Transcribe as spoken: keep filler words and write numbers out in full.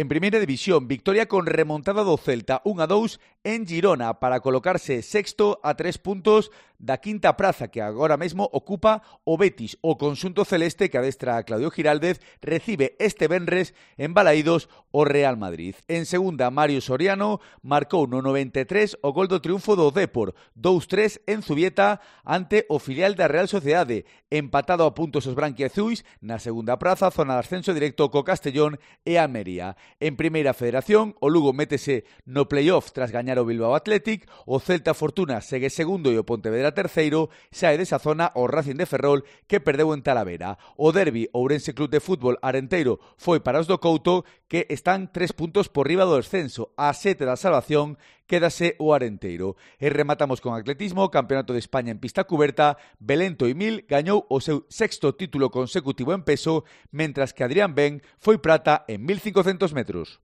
En primeira división, victoria con remontada do Celta un a dous en Girona para colocarse sexto a tres puntos da quinta praza que agora mesmo ocupa o Betis. O conxunto celeste que adestra a Claudio Giraldez recibe este venres en Balaídos o Real Madrid. En segunda, Mario Soriano marcou no noventa e tres o gol do triunfo do Depor, dous tres en Zubieta ante o filial da Real Sociedade, empatado a puntos os branquiazuis na segunda praza, zona de ascenso directo co Castellón e Almería. En primeira federación, o Lugo métese no playoff tras gañar o Bilbao Athletic, o Celta Fortuna segue segundo e o Pontevedra terceiro, sae desa zona o Racing de Ferrol que perdeu en Talavera. O derbi Ourense Club de Fútbol Arenteiro foi para os do Couto que están tres puntos por riba do descenso, a sete da salvación quédase o Arenteiro. E rematamos con atletismo, Campeonato de España en pista cuberta, Belén Toimil gañou o seu sexto título consecutivo en peso, mentras que Adrián Ben foi prata en mil cincocentos metros.